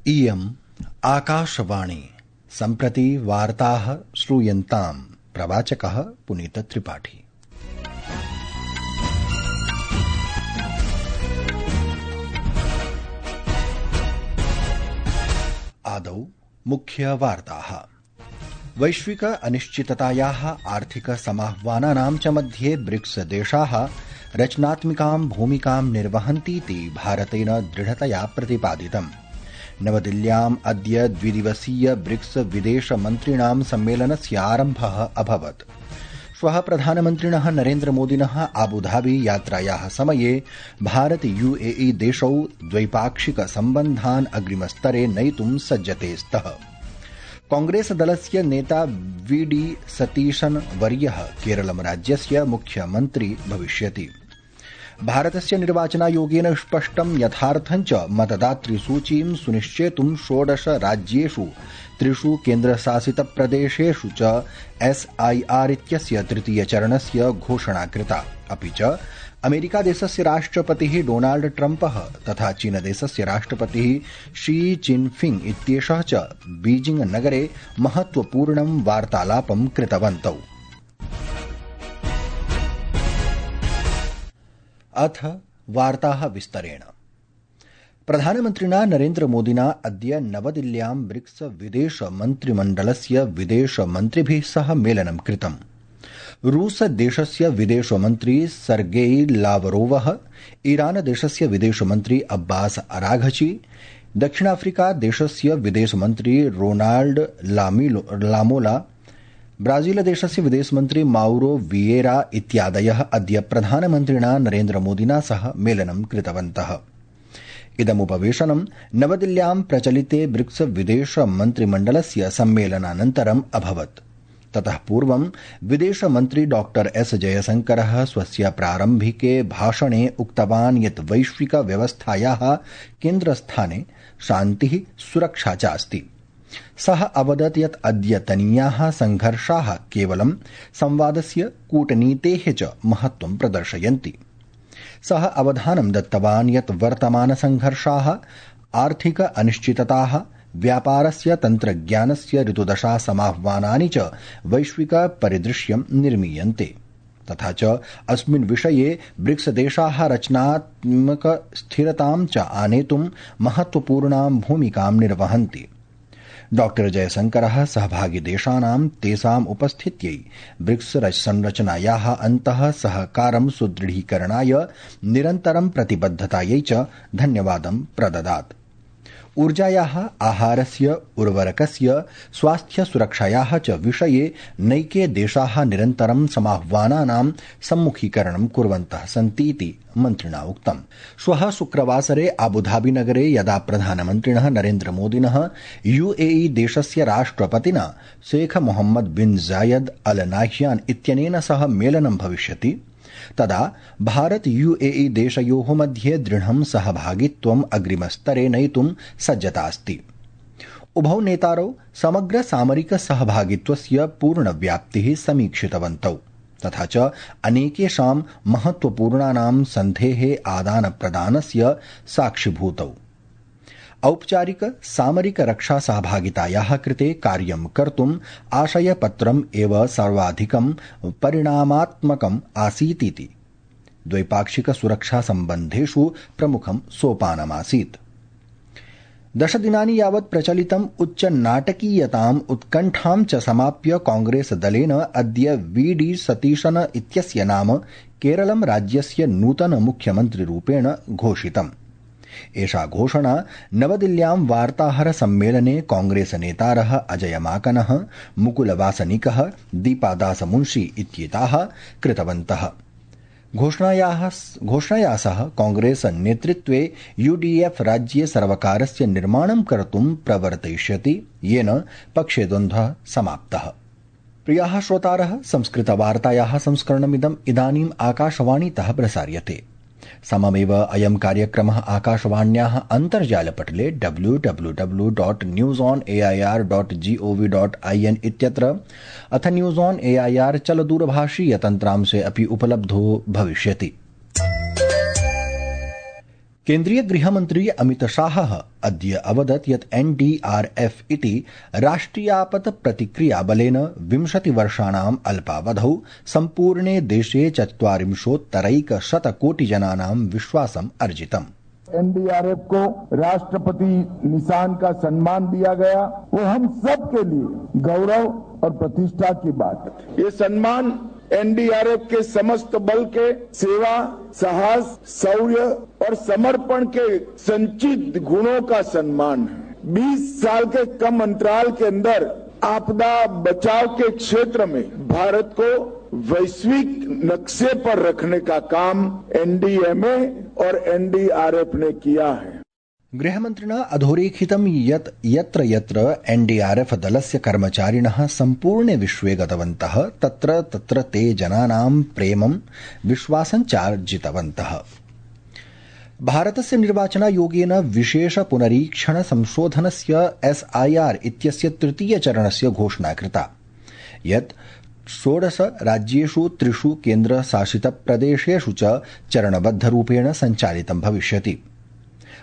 इयम् आकाशवाणी। सम्प्रति वार्ताः श्रूयन्ताम्। प्रवाचकः पुनीतत्रिपाठी। आदौ मुख्यवार्ताः। वैश्विक अनिश्चिततायाः आर्थिक समाह्वानानां च मध्ये ब्रिक्स देशाः रचनात्मिकां भूमिकां निर्वहन्तीति भारतेन दृढतया प्रतिपादितम्। नवदिल्ल्याम् अद्य द्विदिवसीय ब्रिक्स विदेशमन्त्रिणां सम्मेलनस्य आरम्भः अभवत्। श्वः प्रधानमन्त्रिणः नरेन्द्रमोदिनः आबुधाबी यात्रायाः समये भारत यूएई देशौ द्वैपाक्षिक सम्बन्धान् अग्रिमस्तरे नयितुं सज्जते स्तः। कांग्रेस दलस्य नेता वीडी सतीशन् वर्यः केरलं राज्यस्य मुख्यमन्त्री भविष्यति। भारतस्य निर्वाचनायोगेन स्पष्टं यथार्थं च मतदातृसूचीं सुनिश्चेतुं 16 राज्येषु 3 केन्द्रशासितप्रदेशेषु च SIR इत्यस्य तृतीयचरणस्य घोषणा कृता। अपि च अमेरिकादेशस्य राष्ट्रपतिः डोनाल्ड ट्रम्पः तथा चीनदेशस्य राष्ट्रपतिः शी जिनफिंग इत्येषः च बीजिंग नगरे महत्वपूर्णं वार्तालापं कृतवन्तौ। अथ वार्ताः विस्तरेण। प्रधानमन्त्रिणा नरेन्द्रमोदिना अद्य नवदिल्ल्यां ब्रिक्स विदेशमन्त्रिमण्डलस्य विदेशमन्त्रिभिः सह मेलनं कृतम्। रूसदेशस्य विदेशमन्त्री सर्गेई लावरोवः, ईरानदेशस्य विदेशमन्त्री अब्बास अराघची, दक्षिणाफ्रिकादेशस्य विदेशमन्त्री रोनाल्ड लामोला, ब्राजीलदेशस्य विदेशमन्त्री माउरो वियेरा इत्यादयः अद्य प्रधानमन्त्रिणा नरेन्द्रमोदिना सह मेलनं कृतवन्तः। इदमुपवेशनं नवदिल्ल्यां प्रचलिते ब्रिक्स विदेशमन्त्रिमण्डलस्य सम्मेलनानन्तरम् अभवत्। ततः पूर्वं विदेशमन्त्री डॉ एस जयशंकरः स्वस्य प्रारम्भिके भाषणे उक्तवान् यत् वैश्विक व्यवस्थायाः केन्द्रस्थाने शान्तिः सुरक्षा च अस्ति। सः अवदत् यत् अद्यतनीयाः संघर्षाः केवलं संवादस्य कूटनीतेः च महत्त्वं प्रदर्शयन्ति। सः अवधानं दत्तवान् यत् वर्तमानसंघर्षाः आर्थिक अनिश्चितताः, व्यापारस्य तन्त्रज्ञानस्य ऋतुदशा समाह्वानानि च वैश्विक परिदृश्यं निर्मीयन्ते। तथा च अस्मिन् विषये ब्रिक्स देशाः रचनात्मक स्थिरतां च आनेतुं महत्वपूर्णां भूमिकां निर्वहन्ति। डॉ जयशंकरः सहभागिदेशानां तेषाम् उपस्थित्यै ब्रिक्स संरचनायाः अन्तः सहकारं सुदृढीकरणाय निरन्तरं प्रतिबद्धतायै च धन्यवादं प्रददात्। ऊर्जायाः, आहारस्य, उर्वरकस्य, स्वास्थ्यसुरक्षायाः च विषये नैके देशाः निरन्तरं समाह्वानानां सम्मुखीकरणं कुर्वन्तः सन्तीति मन्त्रिणा उक्तम्। श्वः शुक्रवासरे आबुधाबीनगरे यदा प्रधानमन्त्रिणः नरेन्द्रमोदिनः यूएई देशस्य राष्ट्रपतिना शेख मोहम्मद बिन जायद अल नाह्यान इत्यनेन सह मेलनं भविष्यति, तदा भारत यूएई देशयोः मध्ये दृढं सहभागित्वम् अग्रिमस्तरे नयितुं सज्जता अस्ति। उभौ नेतारौ समग्र सामरिक सहभागित्वस्य पूर्णव्याप्तिः समीक्षितवन्तौ तथा च अनेकेषां महत्वपूर्णानां सन्धेः आदानप्रदानस्य साक्षिभूतौ। औपचारिक सामरिक रक्षा सहभागितायाः कृते कार्यं कर्तुम् आशयपत्रम् एव सर्वाधिकं परिणामात्मकम् आसीतिति द्वैपाक्षिक सुरक्षा सम्बन्धेषु प्रमुखं सोपानमासीत्। 10 दिनानि यावत् प्रचलितम् उच्चनाटकीयताम् उत्कण्ठां च समाप्य कांग्रेस दलेन अद्य वीडी सतीशन इत्यस्य नाम केरलं राज्यस्य नूतन मुख्यमन्त्रिरूपेण घोषितम्। एषा घोषणा नवदिल्ल्यां वार्ताहर सम्मेलने कांग्रेस नेतारः अजय माकनः, मुकुल वासनिकः, दीपादास मुंशी इत्येताः कृतवन्तः। घोषणया सह कांग्रेस नेतृत्वे यूडीएफ राज्ये सर्वकारस्य निर्माणं कर्तुं प्रवर्तयिष्यति, येन पक्षे द्वन्द्वः समाप्तः। प्रियाः श्रोतारः, संस्कृतवार्तायाः संस्करणमिदम् इदानीम् आकाशवाणीतः प्रसार्यते। सममेव अयं कार्यक्रमः आकाशवाण्याः अन्तर्जालपटले www.newsonair.gov.in इत्यत्र अथ न्यूज़ ऑन एआईआर चलदूरभाषीयतन्त्रांशे अपि उपलब्धो भविष्यति। केन्द्रीय गृहमन्त्री अमितशाहः अद्य अवदत् यत् NDRF इति राष्ट्रियापत् प्रतिक्रियाबलेन 20 वर्षाणाम् अल्पावधौ सम्पूर्णे देशे 40,100 कोटिजनानां विश्वासम् अर्जितम्। NDRF को राष्ट्रपति निशान का सम्मान दिया गया, वो हम सब के लिए गौरव और प्रतिष्ठा की बात है। ये सम्मान NDRF के समस्त बल के सेवा, साहस, शौर्य और समर्पण के संचित गुणों का सम्मान है। 20 साल के कम अंतराल के अंदर आपदा बचाव के क्षेत्र में भारत को वैश्विक नक्शे पर रखने का काम NDMA और NDRF ने किया है। गृहमन्त्रिणा अधोरेखितं यत् यत्र यत्र NDRF दलस्य कर्मचारिणः सम्पूर्णे विश्वे गतवन्तः तत्र तत्र ते जनानां प्रेमं विश्वासं चार्जितवन्तः। भारतस्य निर्वाचनायोगेन विशेष पुनरीक्षण संशोधनस्य SIR इत्यस्य तृतीयचरणस्य घोषणा कृता यत् 16 राज्येषु 3 केन्द्रशासितप्रदेशेषु च चरणबद्धरूपेण सञ्चालितं भविष्यति।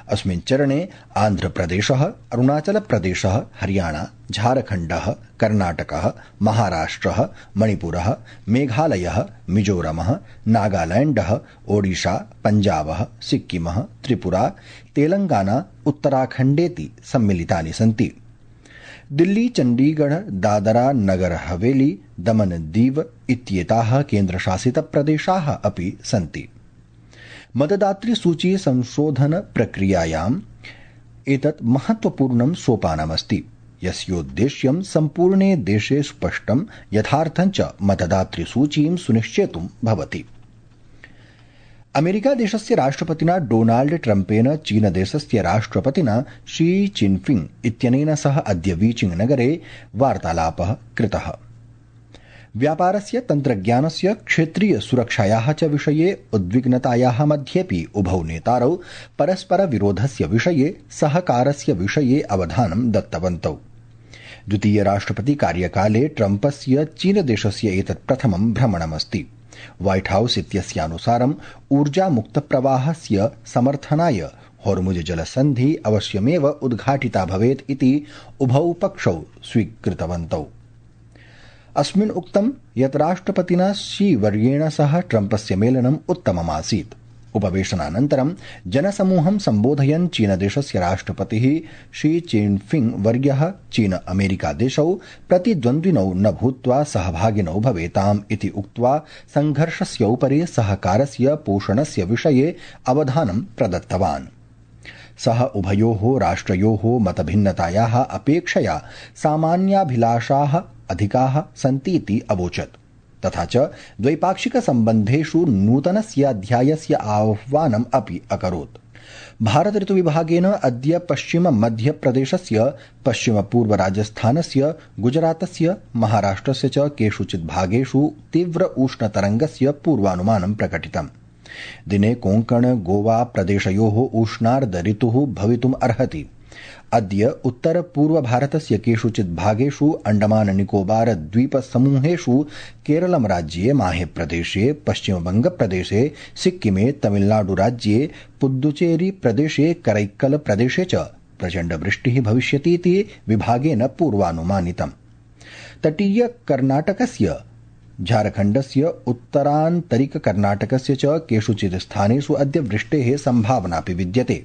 अस्मिन् चरणे आन्ध्रप्रदेशः, अरुणाचलप्रदेशः, हरियाणा, झारखण्डः, कर्णाटकः, महाराष्ट्रः, मणिपुरः, मेघालयः, मिजोरमः, नागालैण्डः, ओडिशा, पञ्जाबः, सिक्किमः, त्रिपुरा, तेलंगाना, उत्तराखण्डेति सम्मिलितानि सन्ति। दिल्ली, चण्डीगढ़, दादरा नगर हवेली, दमन दीव इत्येताः केन्द्रशासितप्रदेशाः अपि सन्ति। मतदातृसूची संशोधन प्रक्रियायाम् एतत् महत्वपूर्णं सोपानमस्ति यस्योद्देश्यं सम्पूर्णे देशे स्पष्टं यथार्थं च मतदातृसूचीं सुनिश्चेतुं भवति। अमेरिकादेशस्य राष्ट्रपतिना डोनाल्ड ट्रम्पेन चीनदेशस्य राष्ट्रपतिना शी चिनफिंग इत्यनेन सह अद्य बीजिंग नगरे वार्तालापः कृतः। व्यापारस्य, तन्त्रज्ञानस्य, क्षेत्रीय सुरक्षायाः च विषये उद्विग्नतायाः मध्येपि उभौ नेतारौ परस्पर विरोधस्य विषये सहकारस्य विषये अवधानं दत्तवन्तौ। द्वितीय राष्ट्रपति कार्यकाले ट्रम्पस्य चीनदेशस्य एतत् प्रथमं भ्रमणमस्ति। व्हाइट हाउस इत्यस्यानुसारम् ऊर्जामुक्तप्रवाहस्य समर्थनाय होर्मुज जलसन्धि अवश्यमेव उद्घाटिता भवेत् इति उभौ पक्षौ स्वीकृतवन्तौ। अस्मिन् उक्तं यत् राष्ट्रपतिना शी वर्येण सह ट्रम्पस्य मेलनम् उत्तममासीत्। उपवेशनानन्तरं जनसमूहं सम्बोधयन् चीनदेशस्य राष्ट्रपतिः शी चिनफिंग वर्यः चीन अमेरिका देशौ प्रतिद्वन्द्विनौ न भूत्वा सहभागिनौ भवेताम् इति उक्त्वा संघर्षस्य उपरि सहकारस्य पोषणस्य विषये अवधानं प्रदत्तवान्। सः उभयोः राष्ट्रयोः मतभिन्नतायाः अपेक्षया सामान्याभिलाषाः अधिकाः सन्तीति अवोचत्। तथा च द्वैपाक्षिकसम्बन्धेषु नूतनस्य अध्यायस्य आह्वानम् अपि अकरोत्। भारत ऋतुविभागेन अद्य पश्चिम मध्यप्रदेशस्य, पश्चिमपूर्व राजस्थानस्य, गुजरातस्य, महाराष्ट्रस्य च केषुचित् भागेषु तीव्र उष्णतरङ्गस्य पूर्वानुमानं प्रकटितम्। दिने कोंकण गोवा प्रदेशयोः उष्णार्ध ऋतुः भवितुम् अर्हति। अद्य उत्तर पूर्व भारतस्य केषुचित् भागेषु, अंडमान निकोबार द्वीप समूहेषु, केरलम राज्ये माहे प्रदेशे, पश्चिमबंग प्रदेशे, सिक्किमे, तमिलनाडु राज्ये, पुद्दुचेरी प्रदेशे, करैक्कल प्रदेशे च प्रचण्ड वृष्टिः भविष्यतीति विभागेन पूर्वानुमानितम्। तटीय कर्णाटकस्य, झारखण्डस्य, उत्तरान्तरिक कर्णाटकस्य च केषुचित् स्थानेषु अद्य वृष्टेः सम्भावनापि विद्यते।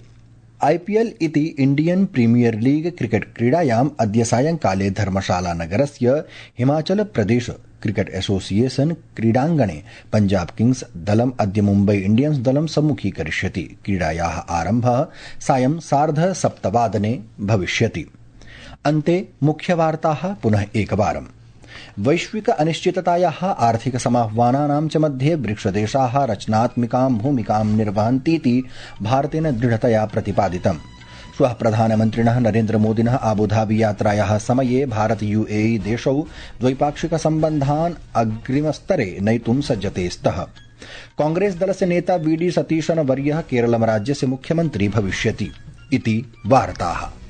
IPL इति इंडियन प्रीमियर लीग क्रिकेट क्रीडायाम् अद्य सायंकाले धर्मशाला नगरस्य हिमाचल प्रदेश क्रिकेट एसोसिएशन क्रीडाङ्गणे पंजाब किंग्स दलम् अद्य मुम्बई इंडियन्स दलं सम्मुखीकरिष्यति। क्रीडायाः आरम्भः सायं 7:30 भविष्यति। अन्ते मुख्यवार्ताः पुनः एकवारम्। वैश्विक अनिश्चिततायाः, आर्थिक समाह्वानानां च मध्ये ब्रिक्सदेशाः रचनात्मिकां भूमिकां निर्वहन्तीति भारतेन दृढतया प्रतिपादितम्। श्वः प्रधानमन्त्रिणः नरेन्द्रमोदिनः आबुधाबी यात्रायाः समये भारत UAE देशौ द्वैपाक्षिकसम्बन्धान् अग्रिमस्तरे नयितुं सज्जते स्तः। कांग्रेस दलस्य नेता VD सतीशन वर्यः केरलम राज्यस्य मुख्यमन्त्री भविष्यति इति वार्ताः।